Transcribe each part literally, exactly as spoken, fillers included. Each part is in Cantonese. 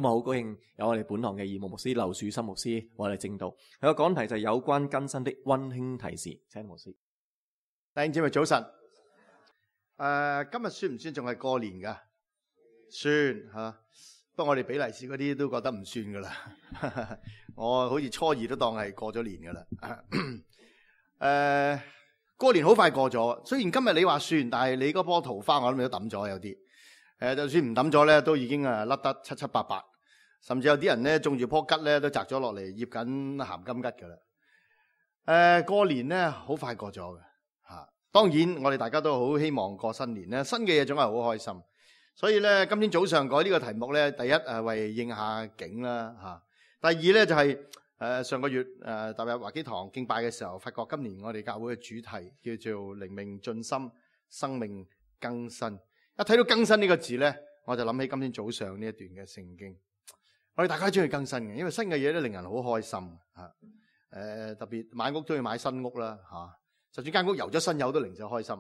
今日好高興有我哋本堂嘅義牧牧師劉樹森牧師為我哋證道。佢個講題就係有關更新的溫馨提示。請牧師。弟兄姊妹早晨。誒、呃，今日算唔算仲係過年噶？算吓、啊，不過我哋俾利是嗰啲都覺得唔算噶啦。我好似初二都當係過咗年噶啦。誒、呃，過年好快過咗。雖然今日你話算，但係你嗰棵桃花我諗你都抌咗有啲。誒、呃，就算唔抌咗咧，都已經啊甩得七七八八，甚至有啲人咧種住棵桔咧都摘咗落嚟，醃緊鹹金桔噶啦。誒、呃，過年咧好快過咗嘅吓，當然我哋大家都好希望過新年咧，新嘅嘢總係好開心。所以咧，今天早上改呢個題目咧，第一誒為應下景啦吓，第二咧就係、是、誒、呃、上個月誒踏入華基堂敬拜嘅時候，發覺今年我哋教會嘅主題叫做靈命進深，生命更新。一睇到更新呢個字咧，我就諗起今天早上呢一段嘅聖經。我哋大家都中意更新嘅，因為新嘅嘢咧令人好開心吓。誒、呃，特別買屋都要買新屋啦吓，就算間屋油咗新油都零舍開心。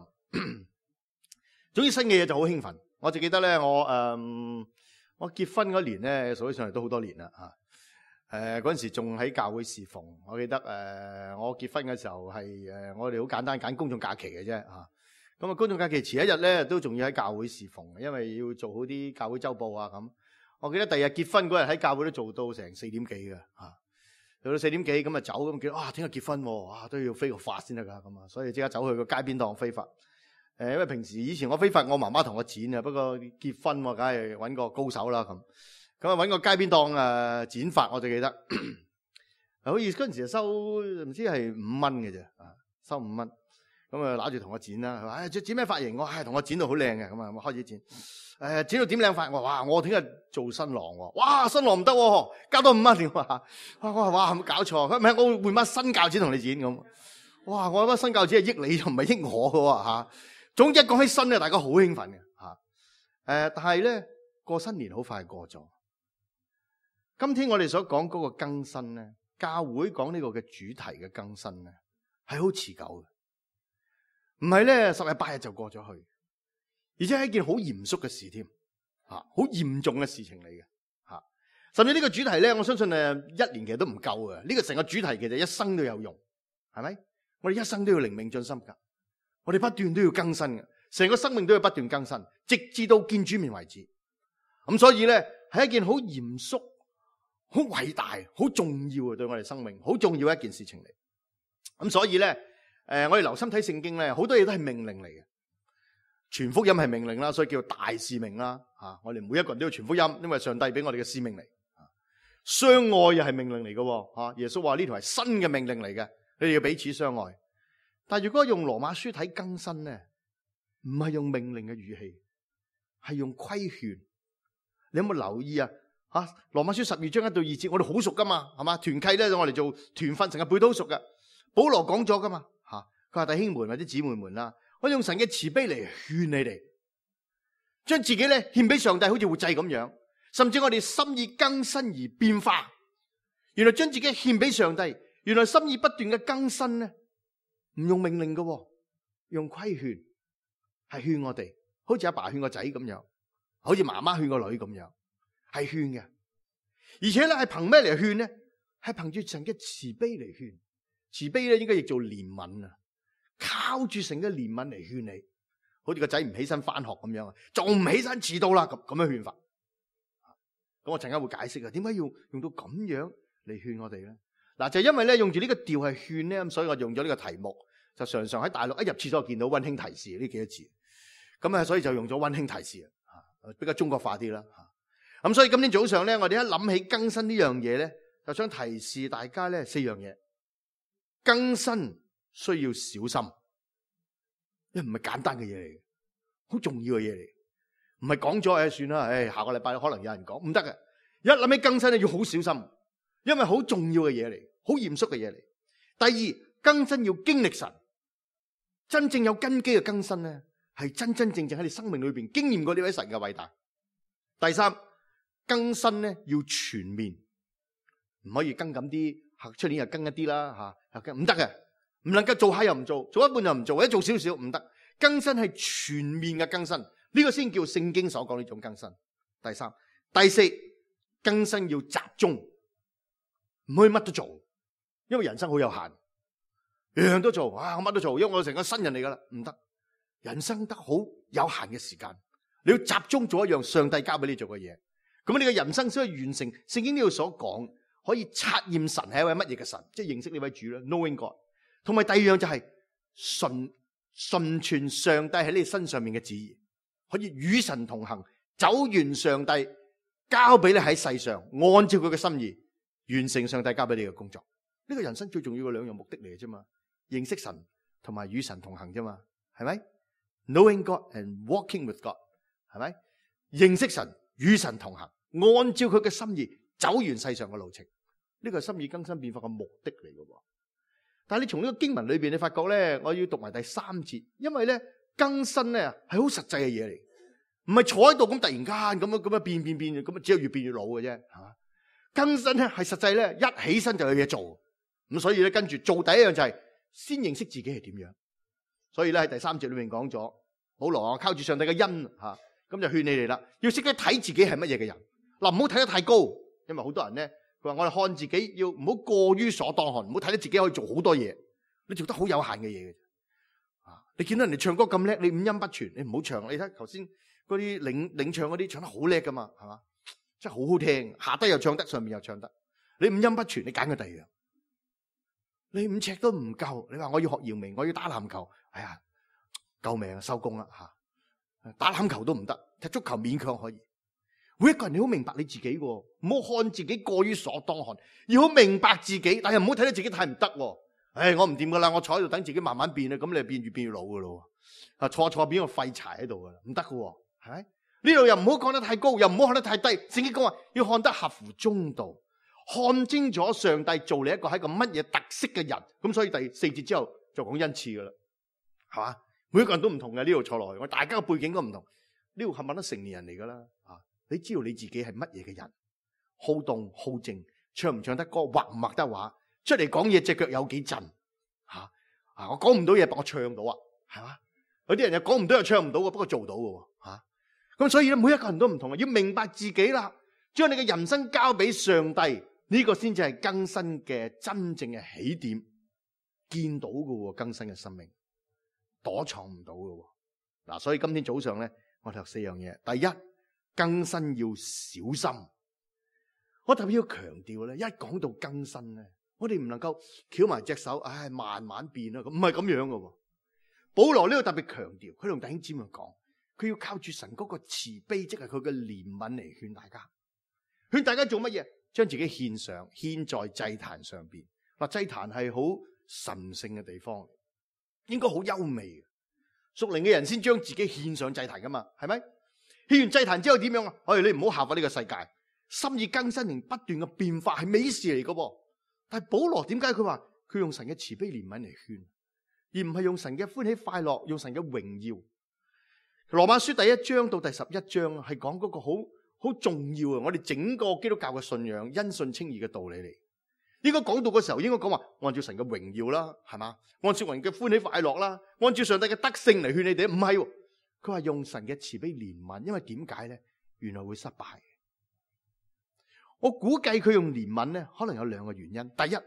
總之新嘅嘢就好興奮。我就記得咧，我誒、嗯、我結婚嗰年咧，數起上嚟都好多年啦吓。誒嗰陣時仲喺教會侍奉，我記得誒、呃、我結婚嘅時候係誒、呃、我哋好簡單揀公眾假期嘅啫吓。咁啊，公眾假期前一日咧，都仲要喺教會侍奉，因為要做好啲教會週報啊咁。我記得第二日結婚嗰日喺教會都做到成四點幾嘅嚇，做到四點幾咁啊走咁叫啊，聽日結婚喎，哇都要飛個髮先得㗎咁啊，所以即刻走去個街邊檔飛髮。誒，因為平時以前我飛髮，我媽媽同我剪啊，不過結婚我梗係揾個高手啦咁。咁啊揾個街邊檔誒剪髮，我就記得，好似嗰陣時收唔知係五蚊嘅啫啊，收五蚊。咁啊，揦住同我剪啦，佢話：誒，剪咩髮型？我係同我剪到好靚嘅，咁啊，我開始剪。誒，剪到點靚髮？我話：哇，我聽日做新郎喎！哇，新郎唔得喎，加多五蚊點啊？我話：哇，係咪搞錯？佢唔係，我換把新鉸剪同你剪咁。哇，我把新鉸剪係益你，又唔係益我嘅嚇。總之一講起新咧，大家好興奮嘅嚇。誒，但係咧過新年好快過咗。今天我哋所講嗰個更新咧，教會講呢個嘅主題嘅更新咧，係好持久嘅。唔係咧，十日八日就過咗去，而且係一件好嚴肅嘅事添，吓，好嚴重嘅事情嚟嘅，吓。甚至呢個主題咧，我相信誒，一年其實都唔夠嘅。呢個成個主題其實一生都有用，係咪？我哋一生都要靈命進深噶，我哋不斷都要更新嘅，成個生命都要不斷更新，直至到見主面為止。咁所以咧，係一件好嚴肅、好偉大、好重要嘅，對我哋生命好重要嘅一件事情嚟。咁所以咧。誒、呃，我哋留心睇聖經咧，好多嘢都係命令嚟嘅。傳福音係命令啦，所以叫大使命啦。吓、啊，我哋每一個人都要傳福音，因為上帝俾我哋嘅使命嚟。啊、相愛又係命令嚟嘅。吓、啊，耶穌話呢條係新嘅命令嚟嘅，你哋要彼此相愛。但係如果用羅馬書睇更新咧，唔係用命令嘅語氣，係用規勸。你有冇留意啊？吓，羅馬書十二章一到二節，我哋好熟噶嘛，係嘛？團契咧，我哋做團訓成日背都好熟噶。保羅講咗噶嘛。佢話弟兄們或者姊妹們啦，我用神嘅慈悲嚟勸你哋，將自己咧獻俾上帝，好似活祭咁樣，甚至我哋心意更新而變化。原來將自己獻俾上帝，原來心意不斷嘅更新咧，唔用命令嘅，用規勸，係勸我哋，好似阿爸勸個仔咁樣，好似媽媽勸個女咁樣，係勸嘅。而且咧係憑咩嚟勸咧？係憑住神嘅慈悲嚟勸，慈悲咧應該亦做憐憫啊。靠住神嘅憐憫嚟勸你，好似個仔唔起身翻學咁樣啊，仲唔起身遲到啦，咁咁樣勸法。咁我陣間會解釋啊，點解要用到咁樣嚟勸我哋咧？嗱，就因為咧用住呢個調係勸咧，咁所以我用咗呢個題目，就常常喺大陸一入廁所見到溫馨提示呢幾個字，咁啊，所以就用咗溫馨提示啊，比較中國化啲啦。咁所以今天早上咧，我哋一諗起更新呢樣嘢咧，就想提示大家咧四樣嘢，更新。需要小心，因為唔係簡單嘅嘢嚟，好重要嘅嘢嚟，唔係講咗誒算啦，誒下個禮拜可能有人講，唔得嘅。一諗起更新咧，要好小心，因為好重要嘅嘢嚟，好嚴肅嘅嘢嚟。第二，更新要經歷神，真正有根基嘅更新咧，係真真正正喺你生命裏邊經驗過呢位神嘅偉大。第三，更新咧要全面，唔可以更咁啲，出年又更一啲啦吓，唔得嘅。唔能夠做下又唔做，做一半又唔做，或者做少少唔得。更新係全面嘅更新，呢個先叫聖經所講呢種更新。第三、第四，更新要集中，唔可以乜都做，因為人生好有限，樣樣都做，啊我乜都做，因為我成個新人嚟噶啦，唔得，人生得好有限嘅時間，你要集中做一樣上帝交俾你做嘅嘢，咁你嘅人生先可以完成聖經呢度所講，可以察驗神係一位乜嘢嘅神，即係認識呢位主啦 ，knowing God。同埋第二樣就係順順傳上帝喺你身上面嘅旨意，可以與神同行，走完上帝交俾你喺世上，按照佢嘅心意完成上帝交俾你嘅工作。呢個人生最重要嘅兩樣目的嚟嘅啫嘛，認識神同埋與神同行啫嘛，係咪 ？Knowing God and walking with God， 係咪？認識神與神同行，按照佢嘅心意走完世上嘅路程，呢個係心意更新變化嘅目的嚟嘅。但係你從呢個經文裏邊，你發覺咧，我要讀埋第三節，因為咧更新咧係好實際嘅嘢嚟，唔係坐喺度咁突然間咁樣咁樣變變變，咁啊只有越變越老嘅啫，係嘛？更新咧係實際咧，一起身就有嘢做，咁所以咧跟住做第一樣就係先認識自己係點樣。所以咧喺第三節裏面講咗，保羅啊靠住上帝嘅恩吓，咁就勸你哋啦，要識得睇自己係乜嘢嘅人，嗱唔好睇得太高，因為好多人咧。佢話：我哋看自己要唔好過於所當看，唔好睇到自己可以做好多嘢，你做得好有限嘅嘢嘅。啊，你見到人哋唱歌咁叻，你五音不全，你唔好唱。你睇頭先嗰啲領領唱嗰啲唱得好叻噶嘛，係嘛？真係好好聽，下低又唱得，上面又唱得。你五音不全，你揀個第二樣。你五尺都唔夠，你話我要學姚明，我要打籃球，哎呀，救命啊，收工啦嚇！打籃球都唔得，踢足球勉強可以。每一個人你好明白你自己喎，唔好看自己過於所當看，要好明白自己，但係唔好睇到自己太唔得喎。唉，我唔掂噶啦，我坐喺度等自己慢慢變啦，咁你變越變越老噶咯。啊，坐坐變個廢柴喺度噶啦，唔得噶，係咪？呢度又唔好講得太高，又唔好看得太低。聖經講話要看得合乎中道，看清楚上帝做你一個係一個乜嘢特色嘅人。咁所以第四節之後就講恩賜噶啦，係嘛？每一個人都唔同嘅，呢度坐落去，我大家嘅背景都唔同。呢度冚唪唥都成年人嚟噶啦，啊！你知道你自己係乜嘢嘅人？好動好靜，唱唔唱得歌，畫唔畫得畫，出嚟講嘢隻腳有幾震吓啊！我講唔到嘢，我唱到啊，係嘛？有啲人又講唔到又唱唔到嘅，不過做到嘅吓。咁所以咧，每一個人都唔同啊，要明白自己啦，將你嘅人生交俾上帝，呢個先至係更新嘅真正嘅起點，見到嘅更新嘅生命，躲藏唔到嘅。嗱，所以今天早上咧，我哋學四樣嘢，第一。更新要小心，我特別要強調咧，一講到更新咧，我哋唔能夠翹埋隻手，唉，慢慢變啦，咁唔係咁樣嘅。保羅呢度特別強調，佢同弟兄姊妹講，佢要靠住神嗰個慈悲，即係佢嘅憐憫嚟勸大家，勸大家做乜嘢？將自己獻上，獻在祭壇上邊。嗱，祭壇係好神聖嘅地方，應該好優美嘅，屬靈嘅人先將自己獻上祭壇噶嘛，係咪？獻完祭壇之後點樣啊？哎，你唔好效法呢個世界，心意更新同不斷嘅變化係美事嚟嘅噃。但係保羅點解佢話佢用神嘅慈悲憐憫嚟勸，而唔係用神嘅歡喜快樂，用神嘅榮耀？羅馬書第一章到第十一章係講嗰個好好重要啊！我哋整個基督教嘅信仰因信稱義嘅道理嚟。應該講到嘅時候，應該講話按照神嘅榮耀啦，係嘛？按照人嘅歡喜快樂啦，按照上帝嘅德性嚟勸你哋，唔係。佢話用神嘅慈悲憐憫，因為點解咧？原來會失敗。我估計佢用憐憫咧，可能有兩個原因。第一，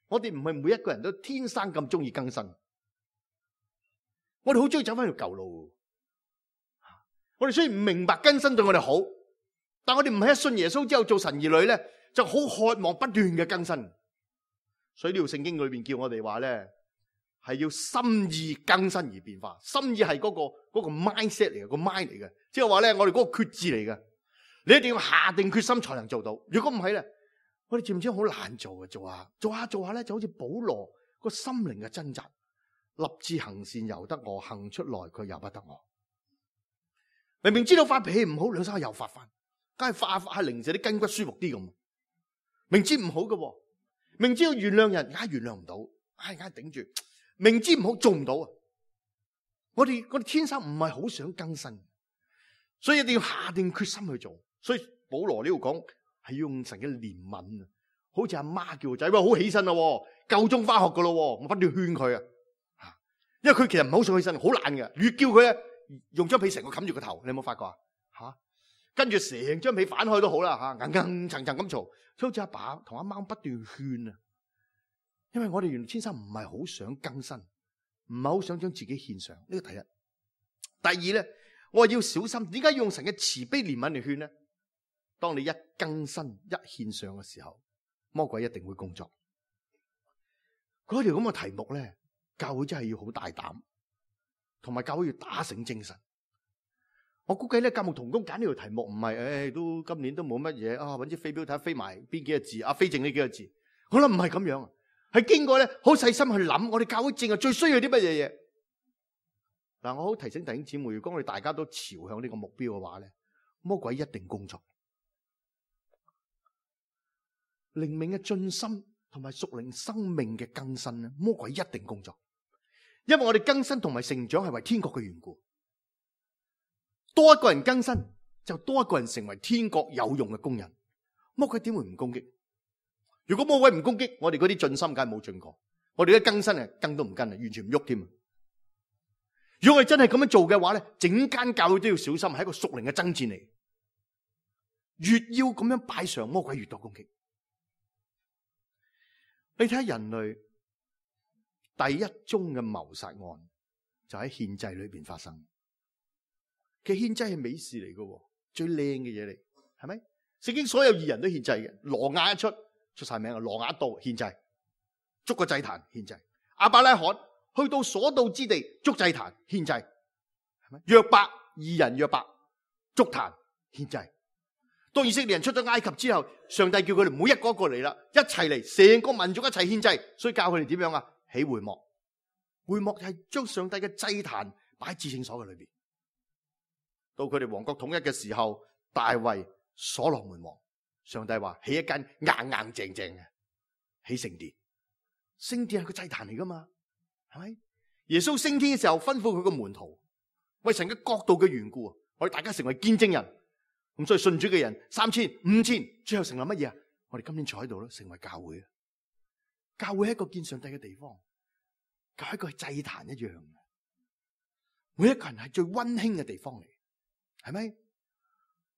我哋唔係每一個人都天生咁中意更新，我哋好中意走翻條舊路。我哋雖然唔明白更新對我哋好，但我哋唔係一信耶穌之後做神兒女咧，就好渴望不斷嘅更新。所以呢條聖經裏邊叫我哋話咧，係要心意更新而變化。心意係嗰個嗰個 mindset 嚟嘅，個 mind 嚟嘅，即係話咧，我哋嗰個決志嚟嘅。你一定要下定決心才能做到。如果唔係咧，我哋知唔知好難做嘅？做下做下做下咧，就好似保羅個心靈嘅掙扎，立志行善由得我，行出來佢由不得我。明明知道發脾氣唔好，兩手又發翻，梗係發發下零舍啲筋骨舒服啲咁。明知唔好嘅，明知要原諒人，梗係原諒唔到，唉，梗係頂住。明知唔好做唔到啊！我哋我哋天生唔係好想更新，所以一定要下定決心去做。所以保羅呢度講係用神嘅憐憫啊，好似阿媽叫個仔，喂，好起身啦，夠鐘翻學噶咯，我不斷勸佢啊，因為佢其實唔係好想起身，好懶嘅，越叫佢咧用張被成個冚住個頭，你有冇發覺啊？吓，跟住成張被反開都好啦吓，硬硬層層咁嘈，好似阿爸同阿媽不斷勸啊。因為我哋原來天生唔係好想更新，唔係好想將自己獻上，呢個第一。第二咧，我話要小心，點解要用神嘅慈悲憐憫嚟勸咧？當你一更新一獻上嘅時候，魔鬼一定會工作。嗰條咁嘅題目咧，教會真係要好大膽，同埋教會要打醒精神。我估計咧，教牧同工揀呢條題目唔係，誒、哎，都今年都冇乜嘢啊，搵支飛鏢睇下飛埋邊幾個字，啊，飛正呢幾個字。我諗唔係咁樣，係經過咧好細心去諗，我哋教會正係最需要啲乜嘢嘢。嗱，我好提醒弟兄姊妹，如果我哋大家都朝向呢個目標嘅話咧，魔鬼一定工作。靈命嘅進深同埋屬靈生命嘅更新咧，魔鬼一定工作。因為我哋更新同埋成長係為天國嘅緣故。多一個人更新，就多一個人成為天國有用嘅工人。魔鬼點會唔攻擊？如果魔鬼唔攻擊，我哋嗰啲進心梗係冇進過，我哋嘅更新係更都唔跟啊，完全唔喐添。如果我哋真係咁樣做嘅話咧，整間教會都要小心，係一個屬靈嘅爭戰嚟。越要咁樣擺上，魔鬼越多攻擊。你睇下人類第一宗嘅謀殺案，就喺獻祭裏邊發生。其實獻祭係美事嚟嘅，最靚嘅嘢嚟，係咪？聖經所有義人都獻祭嘅，挪亞一出出晒名啊，挪亞一到獻祭，捉個祭壇獻祭。亞伯拉罕去到所到之地捉祭壇獻祭，係咪？約伯義人約伯捉壇獻祭。當以色列人出咗埃及之後，上帝叫佢哋唔好一個一個嚟啦，一齊嚟，成個民族一齊獻祭，所以教佢哋點樣啊？起會幕，會幕係將上帝嘅祭壇擺喺至聖所嘅裏邊。到佢哋王國統一嘅時候，大衛所羅門王，上帝話起一間硬硬淨淨嘅起聖殿，聖殿係個祭壇嚟噶嘛，係咪？耶穌升天嘅時候吩咐佢個門徒，為神嘅國度嘅緣故，我哋大家成為見證人。咁所以信主嘅人三千、五千，最後成為乜嘢啊？我哋今天坐喺度咯，成為教會啊！教會係一個見上帝嘅地方，教會係一個祭壇一樣嘅，每一個人係最溫馨嘅地方嚟。係咪？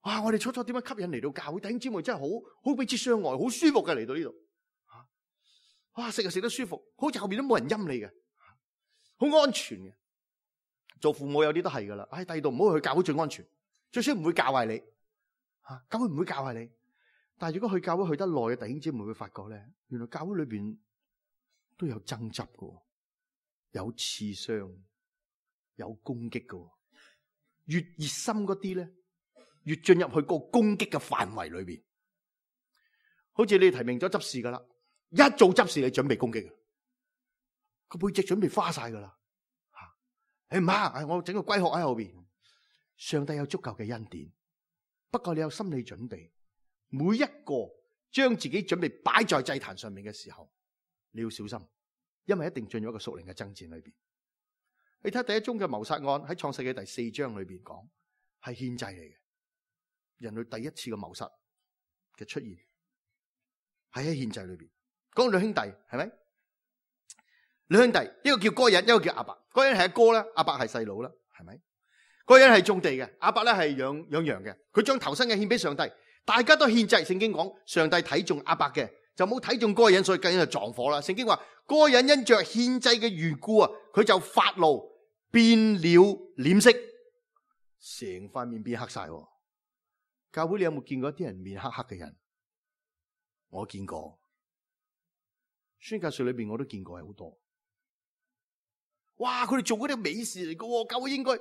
哇！我哋初初點樣吸引嚟到教會？弟兄姊妹真係好好彼此相愛，好舒服嘅嚟到呢度。吓，哇！食又食得舒服，好似後邊都冇人陰你嘅，好安全嘅。做父母有啲都係噶啦。唉，第二度唔好去教會最安全，最少唔會教壞你。吓，教會唔會教壞你。但係如果去教會去得耐嘅弟兄姊妹會發覺咧，原來教會裏邊都有爭執嘅，有刺傷，有攻擊嘅。越熱心嗰啲咧，越進入去個攻擊嘅範圍裏邊。好似你提名咗執事噶啦，一做執事你準備攻擊，個背脊準備花晒噶啦。吓，誒唔怕，我整個龜殼喺後邊。上帝有足夠嘅恩典，不過你有心理準備。每一個將自己準備擺在祭壇上面嘅時候，你要小心，因為一定進入一個屬靈嘅爭戰裏邊。你睇第一宗嘅謀殺案喺創世記第四章裏邊講，係獻祭嚟嘅，人類第一次嘅謀殺嘅出現係喺獻祭裏邊。講兩兄弟係咪？兩兄弟，一個叫該隱，一個叫亞伯。該隱係阿哥啦，亞伯係細佬啦，係咪？該隱係種地嘅，亞伯咧係養養羊嘅。佢將頭生嘅獻俾上帝，大家都獻祭。聖經講上帝睇中亞伯嘅，就冇睇中該隱，所以該隱就撞火啦。聖經話該隱因着獻祭嘅緣故啊，佢就發怒。變了臉色，成塊面變黑晒。教會你有冇見過一啲人面黑黑嘅人？我見過，宣教士裏邊我都見過係好多。哇！佢哋做嗰啲美事嚟嘅，教會應該，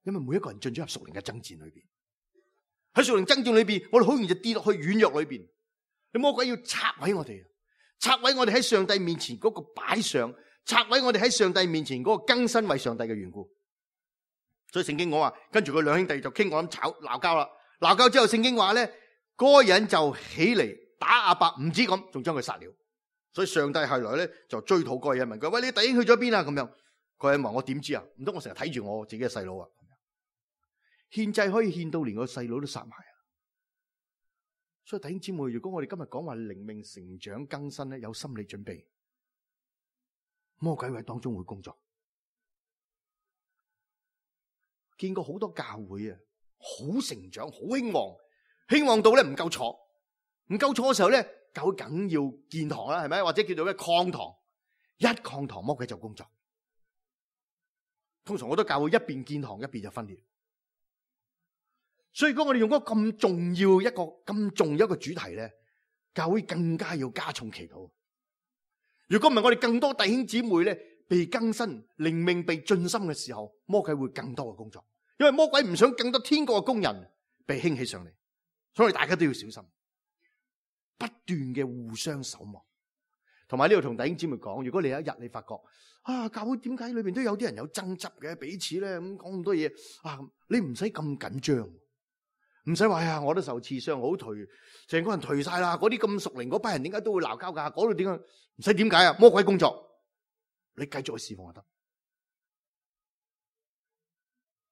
因為每一個人進咗入屬靈嘅爭戰裏邊，喺屬靈爭戰裏邊，我哋好容易就跌落去軟弱裏邊。你魔鬼要拆毀我哋，拆毀我哋喺上帝面前嗰個擺上。拆毀我哋喺上帝面前嗰個更新為上帝嘅緣故，所以聖經講話，跟住佢兩兄弟就傾，我諗吵鬧交啦。鬧交之後，聖經話咧，該隱就起嚟打亞伯，唔止咁，仲將佢殺了。所以上帝後來咧就追討該隱，問佢：喂，你弟兄去咗邊啊？咁樣，該隱話：我點知啊？唔通我成日睇住我自己嘅細佬啊？獻祭可以獻到連個細佬都殺埋啊！所以弟兄姊妹，如果我哋今日講話靈命成長更新咧，有心理準備。魔鬼喺當中會工作，見過好多教會啊，好成長，好興旺，興旺到咧唔夠坐，唔夠坐嘅時候咧，教會梗要建堂啦，係咪？或者叫做咩擴堂，一擴堂魔鬼就工作。通常我都教會一邊建堂一邊就分裂。所以如果我哋用嗰個咁重要一個咁重要一個主題咧，教會更加要加重祈禱。如果唔係，我哋更多弟兄姊妹咧被更新、靈命被進深嘅時候，魔鬼會更多嘅工作，因為魔鬼唔想更多天國嘅工人被興起上嚟，所以大家都要小心，不斷嘅互相守望。同埋呢度同弟兄姊妹講，如果你有一日你發覺啊，教會點解裏邊都有啲人有爭執嘅，彼此咧咁講咁多嘢啊，你唔使咁緊張。唔使話呀，我都受刺傷，好頹，成個人頹晒啦。嗰啲咁屬靈嗰班人點解都會鬧交噶？嗰度點解？唔使點解啊？魔鬼工作，你繼續去侍奉就得。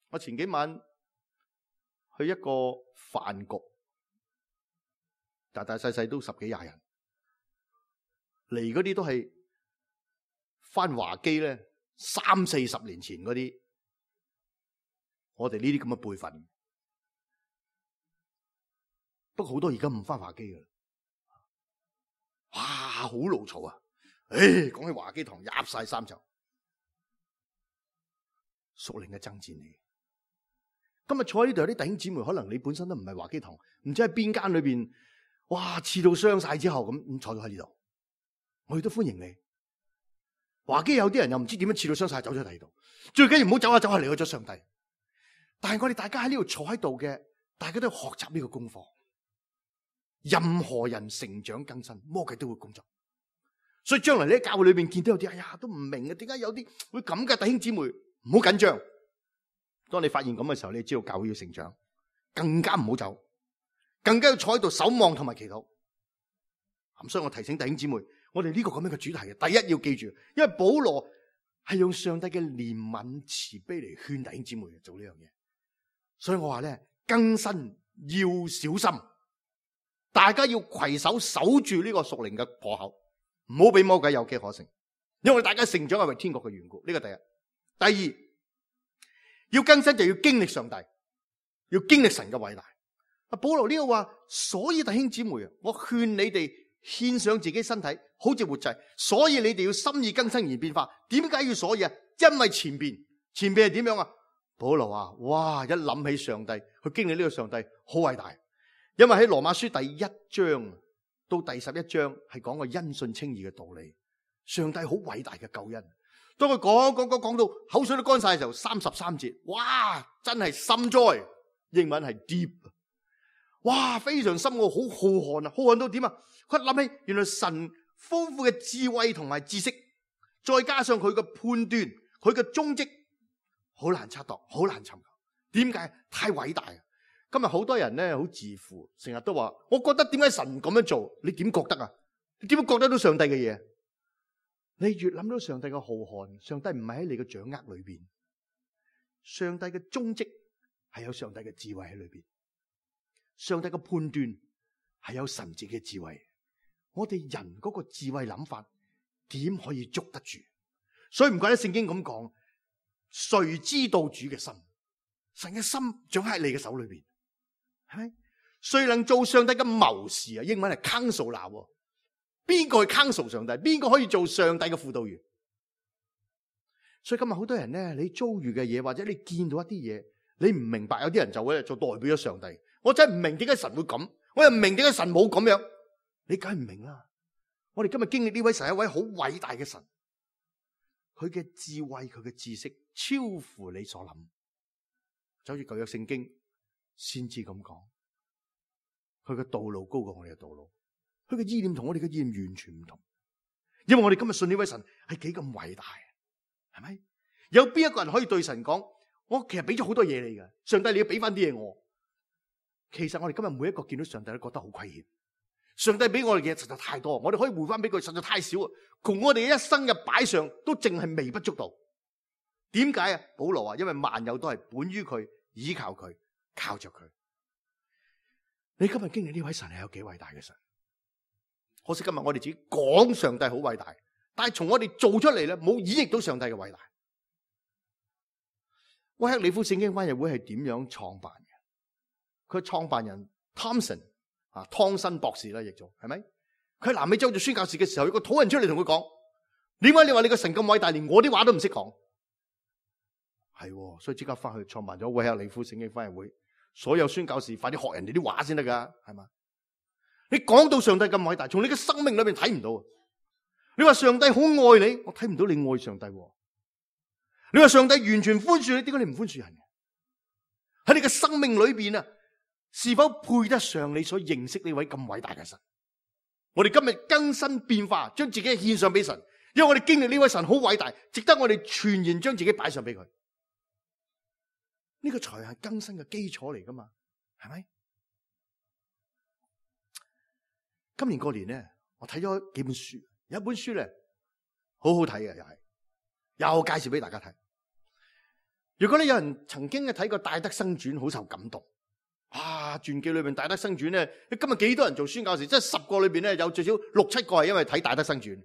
我前幾晚去一個飯局，大大細細都十幾廿人，嚟嗰啲都係翻華基咧三四十年前嗰啲，我哋呢啲咁嘅輩份。不過好多而家唔翻華基噶啦，哇，好牢嘈啊！誒，講起華基堂，入晒三袖，屬靈嘅爭戰嚟。今日坐喺呢度有啲弟兄姊妹，可能你本身都唔係華基堂，唔知喺邊間裏邊，哇，刺到傷晒之後咁，咁坐咗喺呢度，我哋都歡迎你。華基有啲人又唔知點樣刺到傷晒，走咗第二度，最緊要唔好走下走下離開咗上帝。但係我哋大家喺呢度坐喺度嘅，大家都要學習呢個功課。任何人成長更新，魔鬼都會工作。所以將來你喺教會裏邊見到有啲，哎呀都唔明啊，點解有啲會咁嘅？弟兄姊妹唔好緊張。當你發現咁嘅時候，你知道教會要成長，更加唔好走，更加要坐喺度守望同埋祈禱。咁所以我提醒弟兄姊妹，我哋呢個咁樣嘅主題嘅，第一要記住，因為保羅係用上帝嘅憐憫慈悲嚟勸弟兄姊妹做呢樣嘢。所以我話咧，更新要小心。大家要攜手守住呢個屬靈嘅破口，唔好俾魔鬼有機可乘。因為大家成長係為天國嘅緣故，呢個第一。第二，要更新就要經歷上帝，要經歷神嘅偉大。阿保羅呢個話，所以弟兄姊妹啊，我勸你哋獻上自己身體，好似活祭。所以你哋要心意更新而變化。點解要所以啊？因為前邊前邊係點樣啊？保羅話：哇！一諗起上帝，去經歷呢個上帝，好偉大。因為喺羅馬書第一章到第十一章係講個因信稱義嘅道理，上帝好偉大嘅救恩。當佢講講講講到口水都乾晒嘅時候，三十三節，哇，真係深哉，英文係 deep， 哇，非常深奧，好浩瀚啊，浩瀚到點啊？佢諗起原來神豐富嘅智慧同埋知識，再加上佢嘅判斷，佢嘅蹤跡，好難測度，好難尋求。點解？太偉大啊！今日好多人咧好自負，成日都話，我覺得點解神咁樣做？你點覺得啊？你點會覺得到上帝嘅嘢？你越諗到上帝嘅浩瀚，上帝唔係喺你嘅掌握裏邊，上帝嘅蹤跡係有上帝嘅智慧喺裏邊，上帝嘅判斷係有神自己嘅智慧。我哋人嗰個智慧諗法點可以捉得住？所以唔怪得聖經咁講，誰知道主嘅心？神嘅心掌喺你嘅手裏邊。係咪？誰能做上帝嘅謀士啊？英文係 counselor。邊個去 counsel 上帝？邊個可以做上帝嘅輔導員？所以今日好多人咧，你遭遇嘅嘢，或者你見到一啲嘢，你唔明白，有啲人就會做代表咗上帝。我真係唔明點解神會咁，我又唔明點解神冇咁樣。你梗係唔明啦。我哋今日經歷呢位神係一位好偉大嘅神，佢嘅智慧，佢嘅知識超乎你所諗。就好似舊約聖經先知咁講，佢嘅道路高過我哋嘅道路，佢嘅意念同我哋嘅意念完全唔同。因為我哋今日信呢位神係幾咁偉大，係咪？有邊一個人可以對神講，我其實俾咗好多嘢你嘅，上帝你要俾翻啲嘢我。其實我哋今日每一個見到上帝都覺得好虧欠，上帝俾我哋嘅嘢實在太多，我哋可以回翻俾佢實在太少啊，窮我哋一生嘅擺上都淨係微不足道。點解啊？保羅話，因為萬有都係本於佢，依靠佢，靠着佢。你今日經歷呢位神係有幾偉大嘅神？可惜今日我哋自己講上帝好偉大，但係從我哋做出嚟咧，冇演繹到上帝嘅偉大。威克里夫聖經翻譯會係點樣創辦嘅？佢係創辦人 Thompson 啊，湯森博士啦，亦做係咪？佢喺南美洲做宣教士嘅時候，有個土人出嚟同佢講：點解你話你個神咁偉大，連我啲話都唔識講？係，所以即刻翻去創辦咗韋克里夫聖經翻譯會。所有宣教士快啲學人哋啲話先得噶，係嘛？你講到上帝咁偉大，從你嘅生命裏邊睇唔到。你話上帝好愛你，我睇唔到你愛上帝。你話上帝完全寬恕你，點解你唔寬恕人？喺你嘅生命裏邊啊，是否配得上你所認識呢位咁偉大嘅神？我哋今日更新變化，將自己獻上俾神，因為我哋經歷呢位神好偉大，值得我哋全然將自己擺上俾佢。呢個才係更新嘅基礎嚟噶嘛，係咪？今年過年咧，我睇咗幾本書，有一本書咧好好睇嘅，又係又介紹俾大家睇。如果咧有人曾經嘅睇過《戴德生傳》，好受感動。啊，傳記裏邊《戴德生傳》咧，今日幾多人做宣教士？即係十個裏邊咧，有最少六七個係因為睇《戴德生傳》。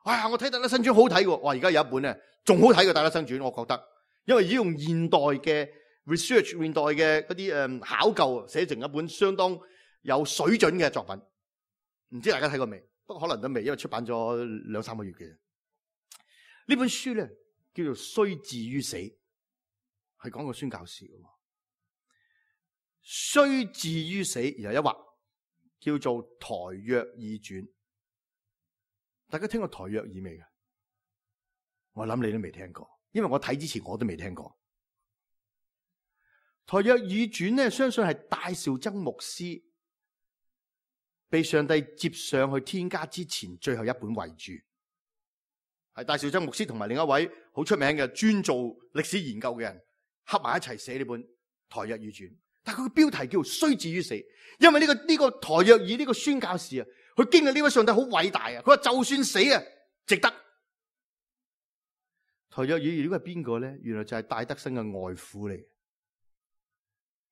哎呀，我睇《戴德生傳》好睇喎！哇，而家有一本咧仲好睇過《戴德生傳》，我覺得。因為已經用現代嘅 research、現代嘅嗰啲誒考究寫成一本相當有水準嘅作品，唔知大家睇過未？不過可能都未，因為出版咗兩三個月嘅。呢本書咧叫做《雖至於死》，係講個宣教士嘅。雖至於死，然後一畫叫做《台約爾傳》。大家聽過《台約爾》未嘅？我諗你都未聽過。因為我睇之前我都未聽過《台約爾傳》咧，相信係戴紹曾牧師被上帝接上去天家之前最後一本遺著，係戴紹曾牧師同埋另一位好出名嘅專做歷史研究嘅人合埋一齊寫呢本《台約爾傳》。但係佢嘅標題叫做雖至於死，因為呢、這個呢、這個台約爾呢個宣教士啊，佢經歷呢位上帝好偉大啊，佢話就算死啊，值得。台約爾呢個係邊個咧？原來就係戴德生嘅外父嚟。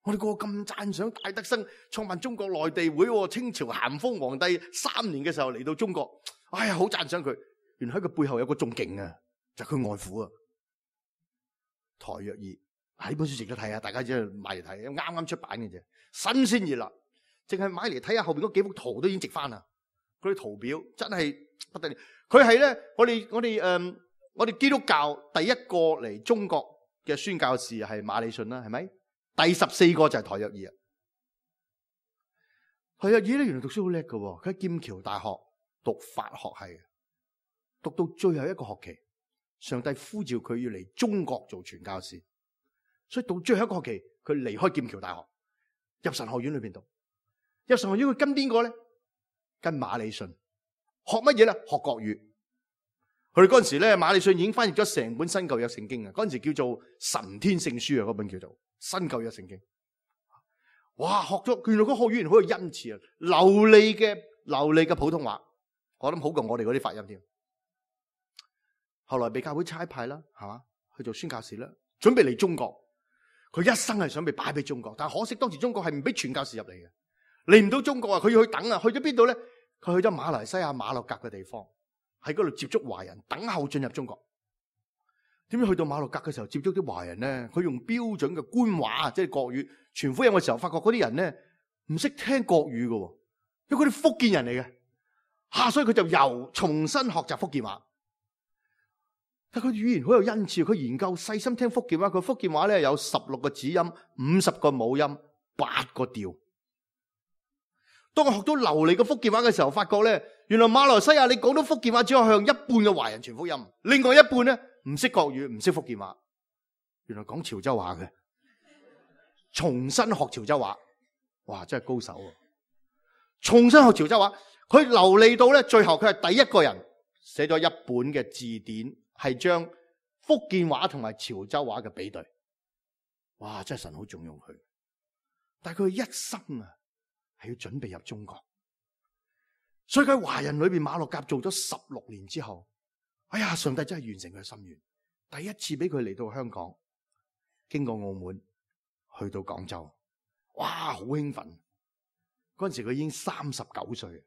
我哋個個咁讚賞戴德生創辦中國內地會，清朝咸豐皇帝三年嘅時候嚟到中國，哎呀，好讚賞佢。原來喺佢背後有個仲勁啊，就係佢外父啊。台約爾啊，呢本書值得睇啊！大家只係買嚟睇，啱啱出版嘅啫，新鮮熱辣，淨係買嚟睇下後邊嗰幾幅圖都已經值翻啦。嗰啲圖表真係不得了。佢係咧，我哋我哋誒。嗯我哋基督教第一個嚟中國嘅宣教士係馬禮遜啦，係咪？第十四個就係台約爾啊。台約爾咧，原來讀書好叻㗎，佢喺劍橋大學讀法學系，讀到最後一個學期，上帝呼召佢要嚟中國做傳教士，所以到最後一個學期，佢離開劍橋大學，入神學院裏邊讀。入神學院佢跟邊個咧？跟馬禮遜。學乜嘢咧？學國語。佢哋嗰陣時咧，馬禮遜已經翻譯咗成本新舊約聖經啊！嗰陣時叫做神天聖書啊，嗰本叫做新舊約聖經。哇！學咗，原來個學語言好有恩賜啊，流利嘅流利嘅普通話，我諗好過我哋嗰啲發音添。後來被教會差派啦，係嘛，去做宣教士啦，準備嚟中國。佢一生係想被擺俾中國，但係可惜當時中國係唔俾傳教士入嚟嘅，嚟唔到中國啊！佢要去等啊，去咗邊度咧？佢去咗馬來西亞馬六甲嘅地方。喺嗰度接觸華人，等候進入中國。點知去到馬六甲嘅時候，接觸啲華人咧，佢用標準嘅官話，即係國語傳福音嘅時候，發覺嗰啲人咧唔識聽國語嘅，因為佢哋福建人嚟嘅，吓，所以佢就又重新學習福建話。但佢語言好有恩賜，佢研究細心聽福建話，佢福建話咧有十六個子音、五十個母音、八個調。當我學到流利嘅福建話嘅時候，發覺咧。原來馬來西亞你講到福建話，只可以向一半嘅華人傳福音，另外一半咧唔識國語，唔識福建話。原來講潮州話嘅，重新學潮州話，哇，真係高手啊！重新學潮州話，佢流利到咧，最後佢係第一個人寫咗一本嘅字典，係將福建話同埋潮州話嘅比對。哇，真係神好重用佢。但係佢一生啊，係要準備入中國。所以喺華人裏邊，馬六甲做咗十六年之後，哎呀，上帝真係完成佢嘅心願，第一次俾佢嚟到香港，經過澳門去到廣州，哇，好興奮！嗰陣時佢已經三十九歲，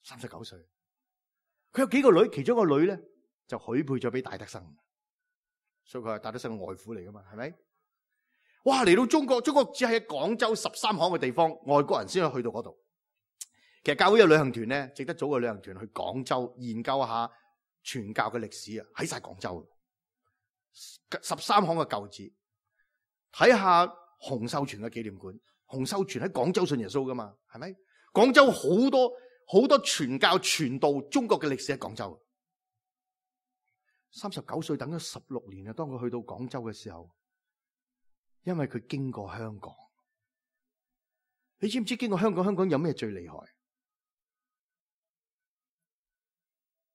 三十九歲，佢有幾個女，其中一個女咧就許配咗俾戴德生，所以佢係戴德生嘅外父嚟噶嘛，係咪？哇！嚟到中國，中國只係喺廣州十三行嘅地方，外國人先可以去到嗰度。其實教會有旅行團咧，值得組個旅行團去廣州研究下傳教嘅歷史啊！喺晒廣州，十三行嘅舊址，睇下洪秀全嘅紀念館。洪秀全喺廣州信耶穌噶嘛，係咪？廣州好多好多傳教傳道中國嘅歷史喺廣州。三十九歲等咗十六年啊！當佢去到廣州嘅時候，因為佢經過香港，你知唔知經過香港？香港有咩最厲害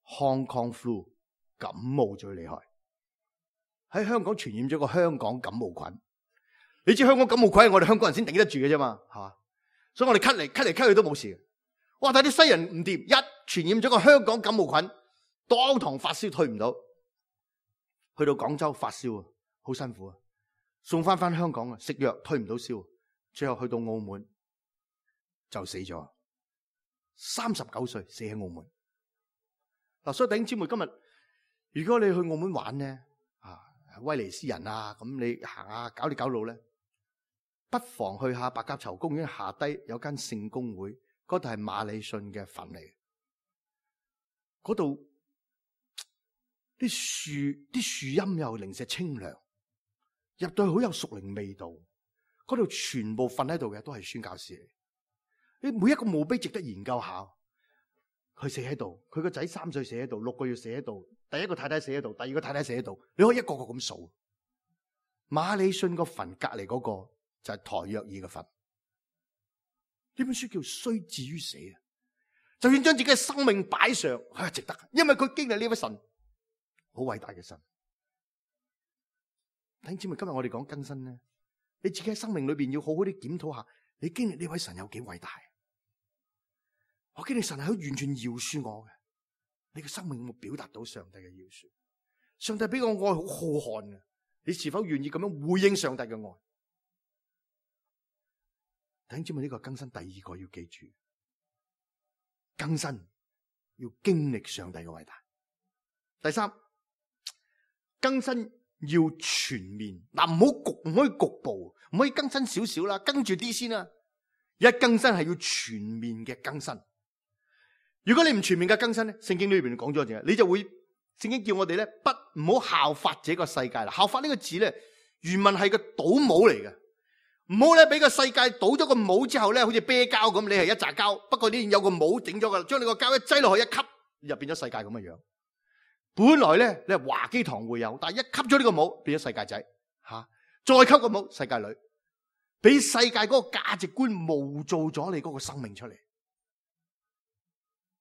？Hong Kong flu 感冒最厲害，喺香港傳染咗個香港感冒菌。你知香港感冒菌係我哋香港人先頂得住嘅啫嘛，係嘛？所以我哋咳嚟咳嚟咳去都冇事嘅。哇！但係啲西人唔掂，一傳染咗個香港感冒菌，當堂發燒退唔到，去到廣州發燒啊，好辛苦啊！送翻翻香港啊，食藥退唔到燒，最後去到澳門就死咗，三十九歲死喺澳門。嗱，所以弟兄姊妹，今日如果你去澳門玩咧，啊威尼斯人啊，咁你行下搞啲搞路咧，不妨去下白鴿巢公園下低有間聖公會，嗰度係馬里遜嘅墳嚟，嗰度啲樹啲樹蔭又零舍清涼。入到去好有屬靈味道，嗰度全部瞓喺度嘅都係宣教士嚟。你每一個墓碑值得研究下。佢死喺度，佢個仔三歲死喺度，六個月死喺度，第一個太太死喺度，第二個太太死喺度，你可以一個個咁數。馬里遜個墳隔籬嗰個就係台約爾嘅墳。呢本書叫雖至於死啊，就算將自己嘅生命擺上，係值得，因為佢經歷呢位神，好偉大嘅神。弟兄姊妹，今日我哋講更新咧，你自己喺生命裏邊要好好啲檢討下，你經歷呢位神有幾偉大？我經歷神係好完全饒恕我嘅，你嘅生命有冇表達到上帝嘅饒恕？上帝俾個愛好浩瀚嘅，你是否願意咁樣回應上帝嘅愛？弟兄姊妹，呢個更新第二個要記住，更新要經歷上帝嘅偉大。第三，更新要全面，嗱，唔好局，唔可以局部，唔可以更新少少啦，跟住啲先啦。一更新係要全面嘅更新。如果你唔全面嘅更新咧，聖經裏邊講咗嘢，你就會聖經叫我哋咧不唔好效法這個世界啦。效法呢個字咧，原文係個倒帽嚟嘅，唔好咧俾個世界倒咗個帽之後咧，好似啤膠咁，你係一紮膠，不過你有個帽整咗噶啦，將你個膠一擠落去一吸，就變咗世界咁嘅樣。本來咧你係華基堂會有，但係一吸咗呢個帽，變咗世界仔吓、啊，再吸個帽，世界女，俾世界嗰個價值觀模造咗你嗰個生命出嚟。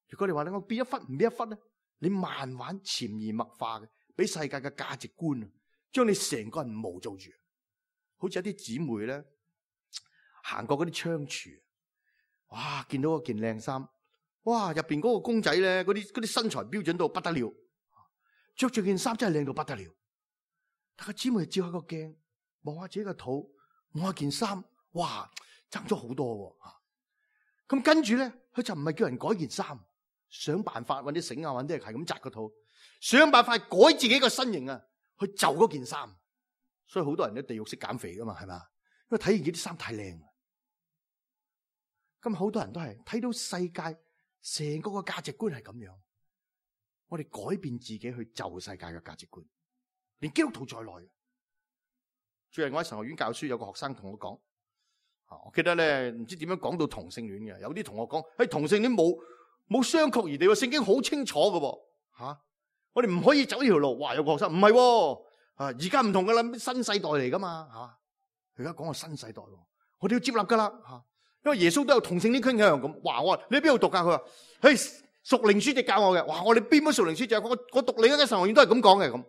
如果你話你我變一忽唔變一忽咧，你慢慢潛移默化嘅，俾世界嘅價值觀將你成個人模造住。好似一啲姊妹咧行過嗰啲窗櫥，哇，見到嗰件靚衫，哇，入邊嗰個公仔咧，嗰啲嗰啲身材標準到不得了，着住件衫真係靚到不得了。但個姊妹照下個鏡，望下自己個肚，望下件衫，哇，爭咗好多喎。咁跟住咧，佢就唔係叫人改件衫。想辦法揾啲繩啊，揾啲係咁紮個肚，想辦法改自己個身形啊，去就嗰件衫。所以好多人都地獄式減肥噶嘛，係咪？因為睇見啲衫太靚。咁好多人都係睇到世界成個個價值觀係咁樣，我哋改變自己去就世界嘅價值觀，連基督徒在內。最近我喺神學院教書，有個學生同我講，我記得咧唔知點樣講到同性戀嘅，有啲同學講，喺同性戀冇。冇相確而地，聖經好清楚嘅，吓、啊、我哋唔可以走呢條路。哇，有個學生唔係，啊而家唔同噶啦，新世代嚟噶嘛，吓而家講個新世代，我哋要接納噶啦，吓、啊、因為耶穌都有同性戀傾向咁。哇，我話你喺邊度讀噶？佢話，嘿，屬靈書籍教我嘅。哇，我哋邊本屬靈書籍？我我讀另一間神學院都係咁講嘅咁。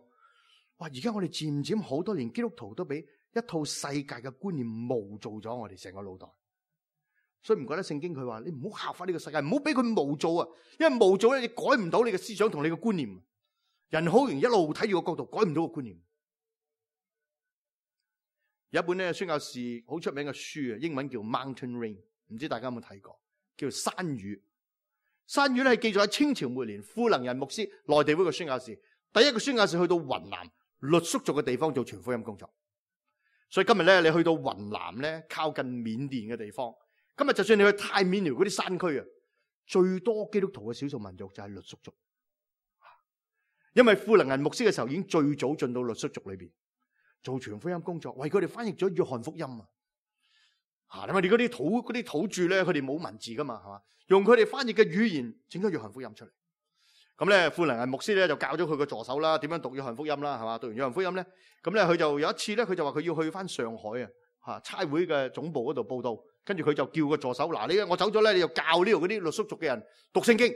哇，而家我哋漸漸好多連基督徒都俾一套世界嘅觀念模造咗我哋成個腦袋。所以唔覺得聖經佢話你唔好效法呢個世界，唔好俾佢模造啊！因為模造咧，你改唔到你嘅思想同你嘅觀念。人好容易一路睇住個角度，改唔到個觀念。有一本咧宣教士好出名嘅書啊，英文叫 Mountain Rain， 唔知大家有冇睇過？叫做山雨。山雨咧係記載喺清朝末年富能人牧師內地會嘅宣教士，第一個宣教士去到雲南傈僳族嘅地方做傳福音工作。所以今日咧，你去到雲南咧，靠近緬甸嘅地方，今日就算你去太緬寮嗰啲山區啊，最多基督徒嘅少數民族就係傈僳族。因為富能銀牧師嘅時候已經最早進到傈僳族裏邊做傳福音工作，為佢哋翻譯咗約翰福音啊！吓，因為你嗰啲土嗰啲土著咧，佢哋冇文字噶嘛，係嘛？用佢哋翻譯嘅語言整咗約翰福音出嚟。咁咧，富能銀牧師咧就教咗佢個助手啦，點樣讀約翰福音啦，係嘛？讀完約翰福音咧，咁咧佢就有一次咧，佢就話佢要去翻上海啊，吓差會嘅總部嗰度報道，跟住佢就叫個助手，嗱，你我走咗咧，你就教呢度嗰啲傈僳族嘅人讀聖經，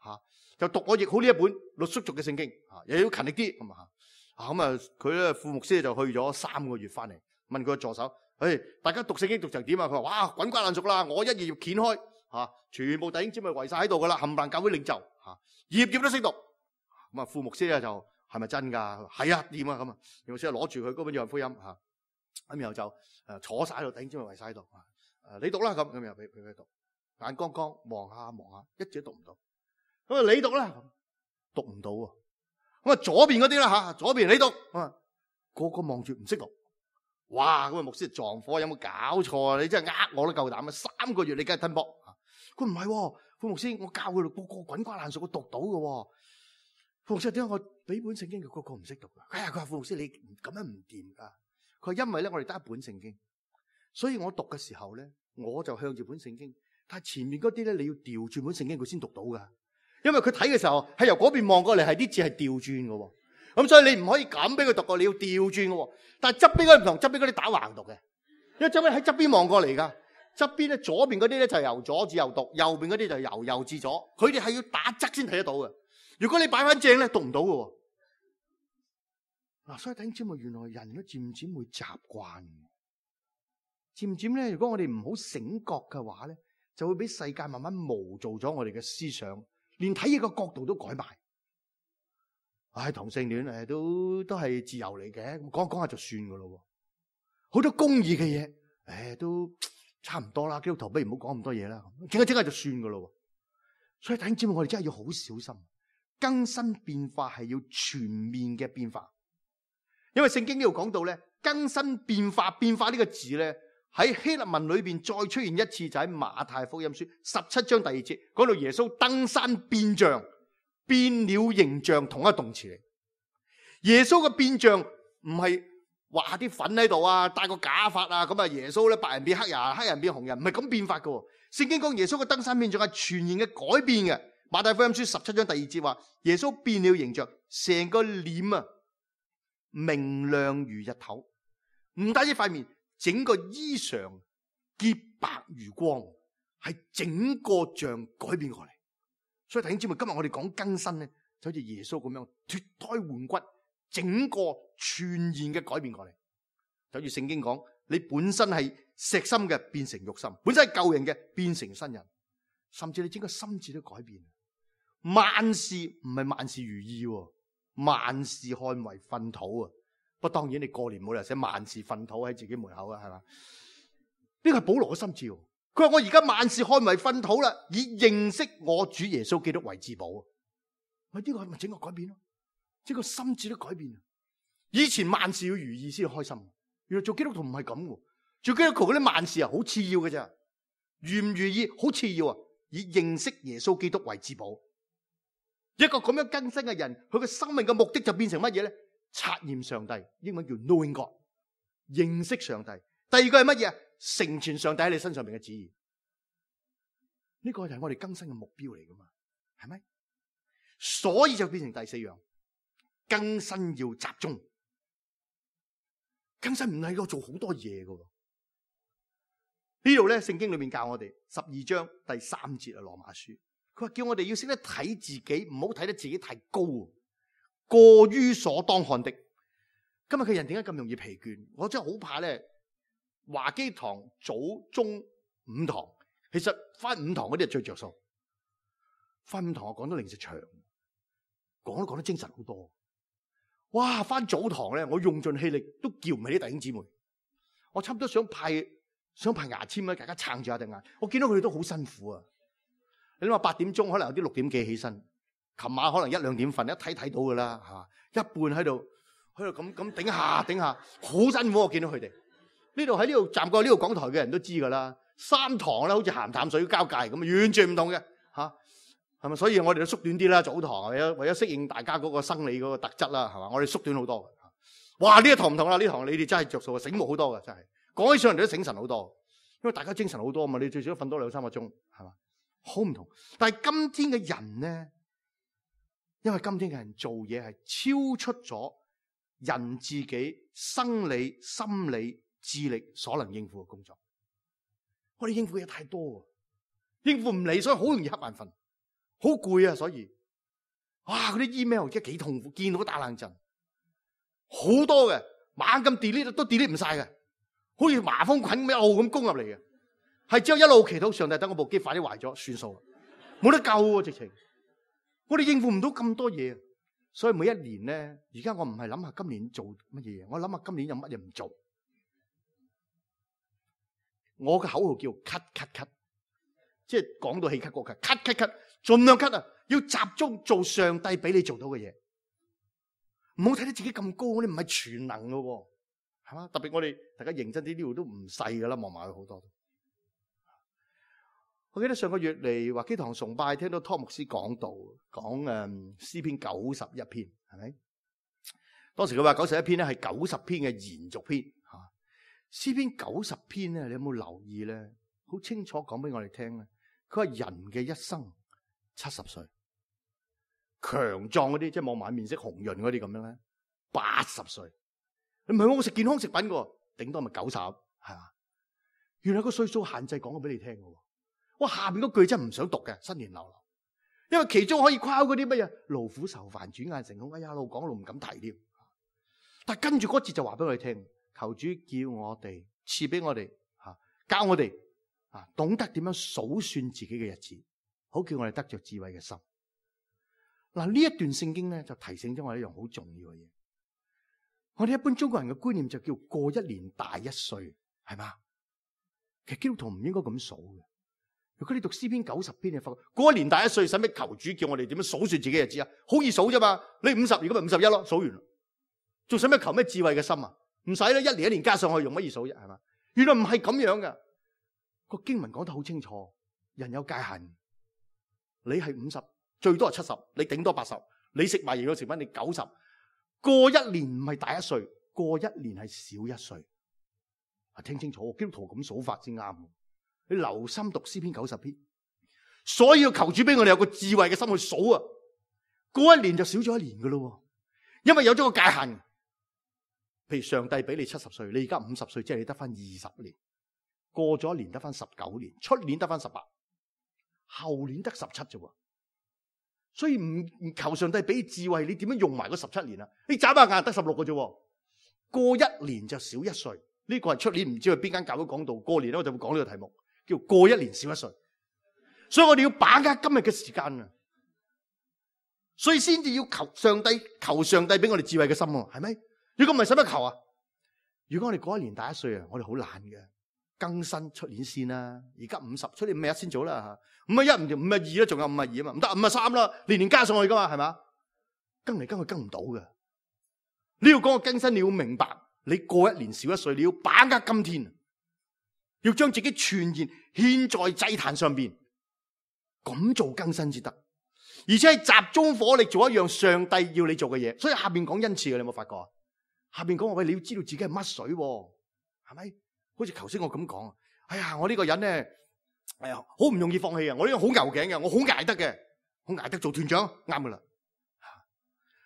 吓就讀我譯好呢一本傈僳族嘅聖經，吓又要勤力啲，咁啊，咁啊，佢咧副牧師就去咗三個月翻嚟，問佢個助手，誒，大家讀聖經讀成點啊？佢話：哇，滾瓜爛熟啦，我一頁頁掀開，吓全部弟兄姊妹圍晒喺度噶啦，冚唪唥教會領袖，吓頁頁都識讀。咁啊，副牧師咧就係咪真噶？係啊，掂啊咁啊，副牧師攞住佢嗰本約翰福音吓，咁然後就誒坐晒喺度，弟兄姊妹圍晒喺度，誒你讀啦咁，咁又俾俾佢讀，眼光光望下望下，一直都讀唔到。咁啊，你讀啦，讀唔到喎。咁啊，左邊嗰啲啦吓，左邊你讀，啊，個個望住唔識讀。哇！咁啊，牧師撞火，有冇搞錯啊？你真係呃我都夠膽啊！三個月你梗係吞波。佢唔係，副牧師，我教佢哋個個滾瓜爛熟，我讀到嘅。副牧師點解我俾本聖經佢個個唔識讀啊？哎呀，佢話副牧師你咁樣唔掂噶。佢話因為咧，我哋得一本聖經，所以我讀嘅時候咧，我就向住本聖經，但係前面嗰啲咧，你要調轉本聖經佢先讀到噶。因為佢睇嘅時候係由嗰邊望過嚟，係啲字係調轉嘅，咁所以你唔可以咁俾佢讀過，你要調轉嘅。但係側邊嗰啲唔同，側邊嗰啲打橫讀嘅，因為側邊喺側邊望過嚟噶。側邊咧左邊嗰啲咧就由左至右讀，右邊嗰啲就由右至左。佢哋係要打側先睇得到嘅。如果你擺翻正咧，讀唔到嘅。嗱，所以弟兄姊妹，原來人都漸漸會習慣，漸漸咧，如果我哋唔好醒覺嘅話咧，就會俾世界慢慢模造咗我哋嘅思想。連睇嘢個角度都改埋，唉、哎，同性戀誒都都係自由嚟嘅，講講下就算噶咯。好多公義嘅嘢，誒、哎、都差唔多啦。基督徒不如唔好講咁多嘢啦，整下整下就算噶咯。所以弟兄姊妹，我哋真係要好小心，更新變化係要全面嘅變化。因為聖經呢度講到咧，更新變化變化呢個字咧，喺希臘文裏邊再出現一次，就喺馬太福音書十七章第二節，講到耶穌登山變像，變了形象，同一個動詞嚟。耶穌嘅變像唔係畫下啲粉喺度啊，戴個假髮啊，咁啊耶穌咧白人變黑人，黑人變紅人，唔係咁變法噶。聖經講耶穌嘅登山變像係全然嘅改變嘅。馬太福音書十七章第二節話，耶穌變了形象，成個臉啊明亮如日頭，唔單止塊面。整個衣裳潔白如光，係整個像改變過嚟。所以弟兄姊妹，今日我哋講更新咧，就好似耶穌咁樣脫胎換骨，整個全然嘅改變過嚟。就好似聖經講，你本身係石心嘅變成肉心，本身係舊人嘅變成新人，甚至你整個心智都改變。萬事唔係萬事如意，萬事看為糞土啊！不過當然你過年冇理由寫萬事糞土喺自己門口啊，係嘛？呢個係保羅嘅心志。佢話我而家萬事看為糞土啦，以認識我主耶穌基督為至寶。咪呢個係咪整個改變咯？整個心智都改變。以前萬事要如意先開心，原來做基督徒唔係咁嘅。做基督徒嗰啲萬事啊，好次要嘅啫。如唔如意好次要啊，以認識耶穌基督為至寶。一個咁樣更新嘅人，佢嘅生命嘅目的就變成乜嘢咧？察驗上帝，英文叫 knowing God， 認識上帝。第二個係乜嘢？成全上帝喺你身上面嘅旨意。呢個就係我哋更新嘅目標嚟噶嘛，係咪？所以就變成第四樣，更新要集中。更新唔係要做好多嘢噶。呢度咧，聖經裏面教我哋十二章第三節啊，羅馬書，佢話叫我哋要識得睇自己，唔好睇得自己太高。過於所當看的。今日嘅人點解咁容易疲倦？我真係好怕咧。華基堂早中五堂，其實翻五堂嗰啲係最着數。翻五堂我講得零食長，講都講得精神好多。哇！翻早堂咧，我用盡氣力都叫唔起啲弟兄姊妹。我差唔多想派想派牙籤咧，大家撐住下對眼。我見到佢哋都好辛苦啊。你諗下八點鐘，可能有啲六點幾起身。琴晚可能一兩點瞓，一睇睇到噶啦，吓一半喺度喺度咁咁頂下頂下，好辛苦。我見到佢哋，呢度喺呢度站過呢度講台嘅人都知噶啦，三堂啦，好似鹹淡水交界咁，完全唔同嘅吓，係咪？所以我哋都縮短啲啦，早堂為咗為咗適應大家嗰個生理嗰個特質啦，係嘛？我哋縮短好多嘅。哇！呢一堂唔同啦，呢堂你哋真係着數啊，醒目好多嘅，真係講起上嚟都醒神好多，因為大家精神好多啊嘛，你最少瞓多兩三個鐘，係嘛？好唔同。但係今天嘅人咧，因為今天嘅人做嘢係超出咗人自己生理、心理、智力所能應付嘅工作，我哋應付嘅嘢太多，應付唔嚟，所以好容易瞌眼瞓，好攰啊！所以，哇！嗰啲 email 而家幾痛苦，見到打冷震，好多嘅猛咁 delete 都 delete 唔晒嘅，好似麻風菌一路咁攻入嚟嘅，係只有一路祈禱上帝等我部機快啲壞咗算數，冇得救喎！直情，我哋應付唔到咁多嘢。所以每一年咧，而家我唔係諗下今年做乜嘢，我諗下今年有乜嘢唔做。我嘅口號叫咳咳咳，即係講到氣咳個咳，咳咳咳，盡量咳啊！要集中做上帝俾你做到嘅嘢，唔好睇得自己咁高，我哋唔係全能噶，係嘛？特別我哋大家認真啲，呢度都唔細噶啦，望埋去好多。我記得上個月嚟華基堂崇拜，聽到湯牧師講道，講誒詩篇九十一篇，係咪？當時佢話九十一篇咧係九十篇嘅延續篇吓。詩篇九十篇咧，你有冇留意咧？好清楚講俾我哋聽咧。佢話人嘅一生七十歲，強壯嗰啲即係望埋面色紅潤嗰啲咁樣咧，八十歲。你唔係我食健康食品嘅，頂多咪九十，係嘛？原來個歲數限制講咗俾你聽嘅。我下邊嗰句真係唔想讀嘅，新年流流，因為其中可以誇嗰啲乜嘢勞苦愁煩轉眼成空，哎呀，一路講一路唔敢提添。但係跟住嗰節就話俾我哋聽，求主叫我哋賜俾我哋吓，教我哋啊，懂得點樣數算自己嘅日子，好叫我哋得着智慧嘅心。嗱，呢一段聖經咧就提醒咗我一樣好重要嘅嘢。我哋一般中國人嘅觀念就叫過一年大一歲，係嘛？其實基督徒唔應該咁數嘅。如果你讀詩篇九十篇，你發覺過一年大一歲，使乜求主叫我哋點樣數算自己日子啊？好易數啫嘛！你五十，如果咪五十一咯，數完啦，仲使乜求咩智慧嘅心啊？唔使啦，一年一年加上去，用乜易數啫？係嘛？原來唔係咁樣噶，個經文講得好清楚，人有界限。你係五十，最多係七十，你頂多八十，你食埋營養食品，你九十。過一年唔係大一歲，過一年係少一歲。啊，聽清楚，基督徒咁數法先啱。你留心讀詩篇九十篇，所以要求主俾我哋有個智慧嘅心去數啊！過一年就少咗一年噶咯，因為有咗個界限。譬如上帝俾你七十歲，你而家五十歲，即係你得翻二十年，過咗一年得翻十九年，出年得翻十八，後年得十七啫。所以唔唔求上帝俾智慧，你點樣用埋嗰十七年啊？你眨下眼得十六個啫，過一年就少一歲。呢、這個係出年唔知去邊間教會講道，過年咧我就會講呢個題目。叫過一年少一歲，所以我哋要把握今日嘅時間啊！所以先至要求上帝，求上帝俾我哋智慧嘅心喎，係咪？如果唔係使乜求啊？如果我哋過一年大一歲啊，我哋好懶嘅，更新出年先啦。而家五十，出年五十一先做啦吓，五十一唔掂，五十二啦，仲有五十二啊嘛，唔得，五十三啦，年年加上去噶嘛，係嘛？更嚟更去更唔到嘅。你要講個更新，你要明白，你過一年少一歲，你要把握今天。要將自己全然獻在祭壇上邊，咁做更新至得，而且係集中火力做一樣上帝要你做嘅嘢。所以下邊講恩賜嘅，你有冇發覺啊？下邊講話喂，你要知道自己係乜水，係咪？好似頭先我咁講，哎呀，我呢個人咧，哎呀，好唔容易放棄啊！我呢個好牛頸嘅，我好捱得嘅，好捱得做團長，啱噶啦。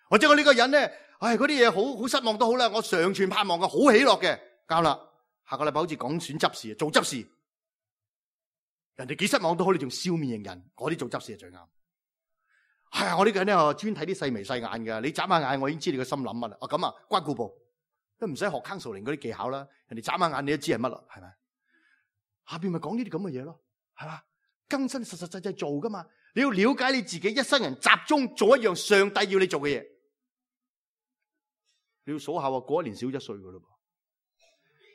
或者我呢個人咧，唉，嗰啲嘢好好失望都好啦，我常存盼望嘅，好喜樂嘅，啱啦。下個禮拜好似講選執事，做執事，人哋幾失望都好，你仲笑面迎人，嗰啲做執事係最啱。係啊，我呢個人咧專睇啲細眉細眼嘅，你眨下眼，我已經知你個心諗乜啦。啊咁啊，關顧部都唔使學 counseling 嗰啲技巧啦，人哋眨下眼你都知係乜啦，係咪？下邊咪講呢啲咁嘅嘢咯，係嘛？更新實實際際做噶嘛，你要了解你自己一生人集中做一樣上帝要你做嘅嘢，你要數下喎，過一年少一歲噶咯。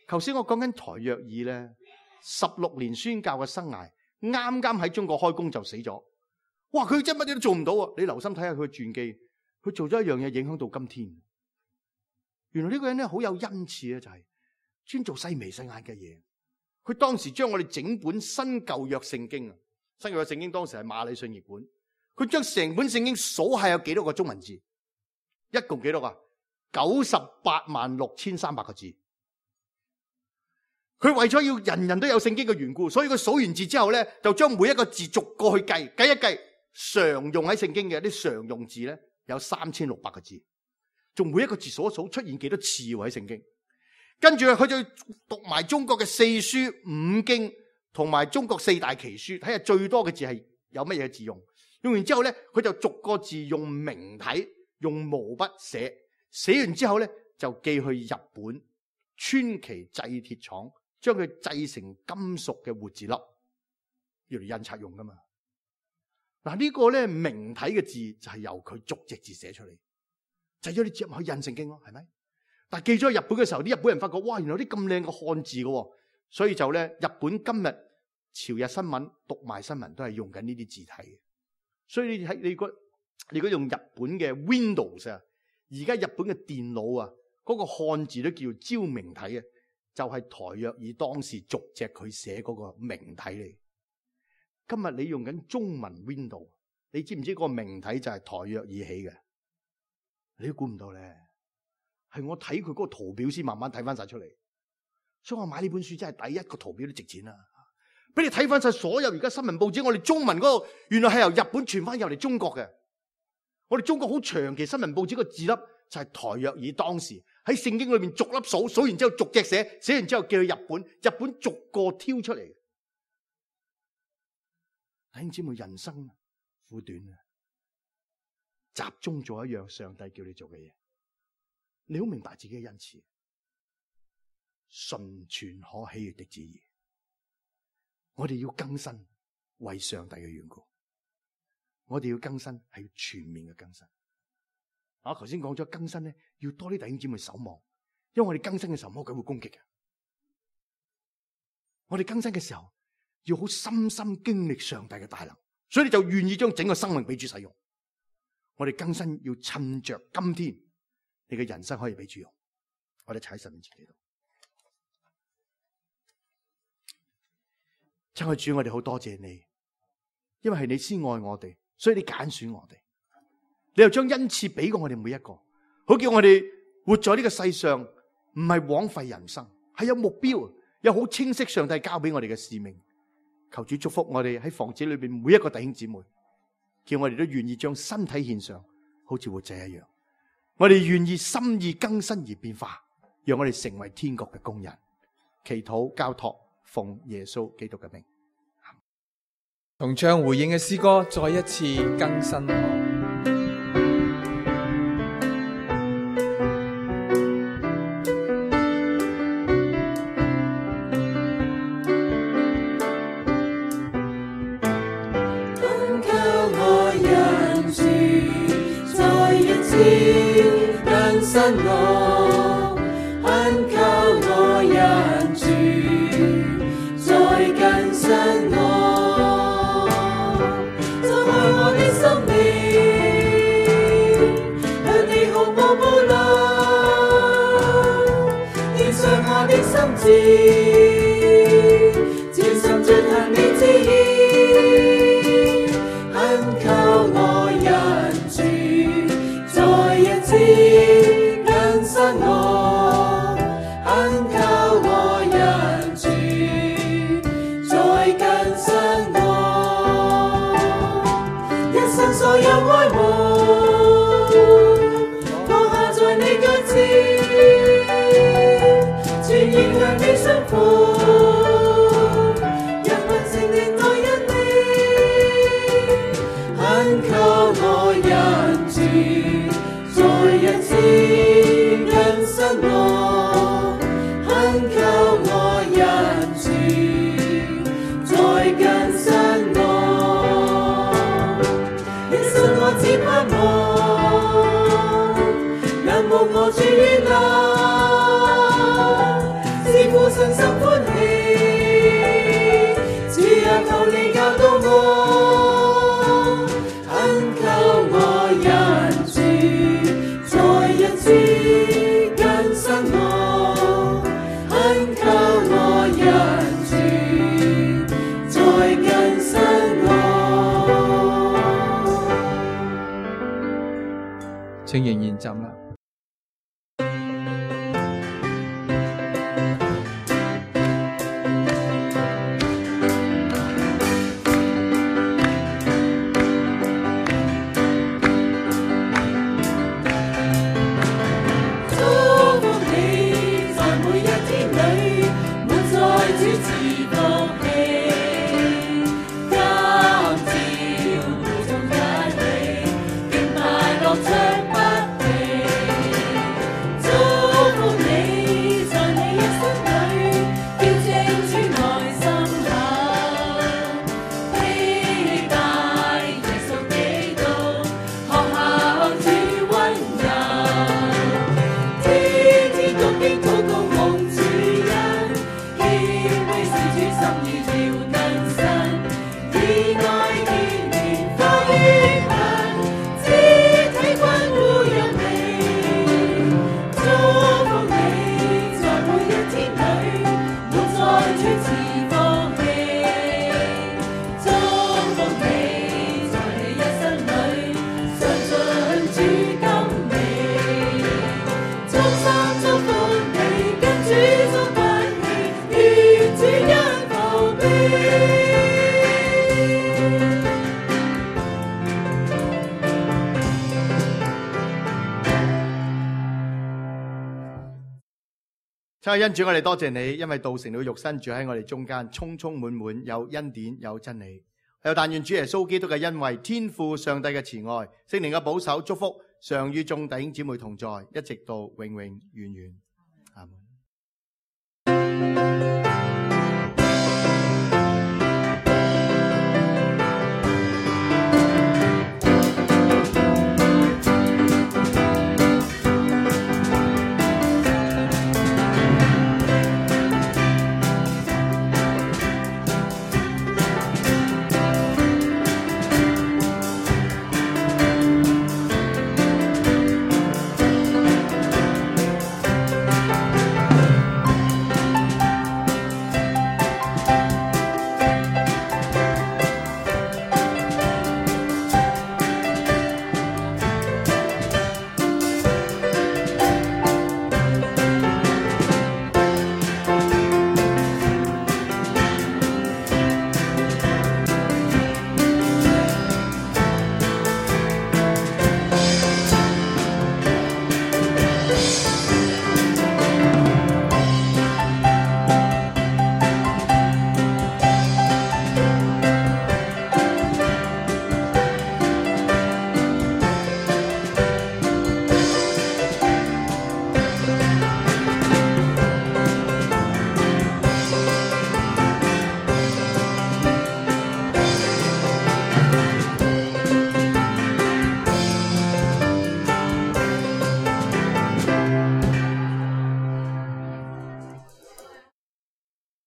頭先我講緊台約爾咧，十六年宣教嘅生涯，啱啱喺中國開工就死咗。哇！佢真乜嘢都做唔到啊！你留心睇下佢嘅傳記，佢做咗一樣嘢影響到今天。原來呢個人咧好有恩賜啊，就係專做細眉細眼嘅嘢。佢當時將我哋整本新舊約聖經啊，新舊約聖經當時係馬禮遜譯本，佢將成本聖經數下有幾多個中文字，一共幾多個？九十八萬六千三百個字。佢為咗要人人都有聖經嘅緣故，所以佢數完字之後咧，就將每一個字逐個去計，計一計常用喺聖經嘅啲常用字咧，有三千六百個字。仲每一個字數一數出現幾多次喎喺聖經。跟住佢就讀埋中國嘅四書五經同埋中國四大奇書，睇下最多嘅字係有乜嘢字用。用完之後咧，佢就逐個字用明體用毛筆寫，寫完之後咧就寄去日本川崎製鐵廠，將佢製成金屬嘅活字粒，要嚟印刷用噶嘛。嗱、這個、呢個咧明體嘅字就係由佢逐隻字寫出嚟，製咗啲字去印聖經咯，係咪？但係寄咗去日本嘅時候，啲日本人發覺哇，原來有啲咁靚嘅漢字嘅，所以就咧日本今日朝日新聞讀賣新聞都係用緊呢啲字體嘅。所以你睇你個你如果用日本嘅 Windows 啊，而家日本嘅電腦啊，嗰、那個漢字都叫昭明體啊，就係、是、台約爾當時逐隻佢寫嗰個明體嚟。今日你用緊中文 Windows， 你知唔知嗰個明體就係台約爾起嘅？你都估唔到咧，係我睇佢嗰個圖表先慢慢睇翻晒出嚟。所以我買呢本書真係第一個圖表都值錢啦。俾你睇翻晒所有而家新聞報紙，我哋中文嗰個原來係由日本傳翻入嚟中國嘅。我哋中國好長期新聞報紙個字粒就係台約爾當時喺聖經裏面逐粒數，數完之後逐隻寫，寫完之後寄去日本，日本逐個挑出嚟。弟兄姊妹，人生苦短啊，集中做一樣上帝叫你做嘅嘢，你好明白自己嘅恩賜，純全可喜悅的旨意。我哋要更新，為上帝嘅緣故，我哋要更新係要全面嘅更新。我頭先講咗更新咧，要多啲弟兄姊妹守望，因為我哋更新嘅時候魔鬼會攻擊嘅。我哋更新嘅時候要好深深經歷上帝嘅大能，所以你就願意將整個生命俾主使用。我哋更新要趁着今天，你嘅人生可以俾主用。我哋踩神面前祈禱。親愛主，我哋好多謝你，因為係你先愛我哋，所以你揀選我哋，你又將恩賜俾過我哋每一個，好叫我哋活在呢個世上，唔係枉費人生，係有目標，有好清晰上帝交俾我哋嘅使命。求主祝福我哋喺房子裏邊每一個弟兄姊妹，叫我哋都願意將身體獻上，好似活祭一樣。我哋願意心意更新而變化，讓我哋成為天國嘅工人。祈禱交託，奉耶穌基督嘅名。同唱回應嘅詩歌，再一次更新我。更新我，懇求我人主，再更新我，就愛我的生命，向你毫無保留，獻上我的心志，專心進行你旨意，懇求我人主，再一次更新我，懇求我人主，再更新我，一生所有愛慕，放下在你腳前，全然向你順服，讓憑聖靈愛因你，懇求我人主，再一次更新我，懇求我人主，再更新我，一生我只盼望，仰慕我主悅納，是父神心歡喜，主啊求你教導我，懇求我人主，再一次更新我，懇請仍然站立。親愛的恩主，我哋多謝你，因為道成了肉身，住喺我哋中間，充充滿滿，有恩典，有真理。又但願主耶穌基督嘅恩惠、天父上帝嘅慈愛、聖靈嘅保守祝福，常與眾弟兄姊妹同在，一直到永永遠遠。阿門。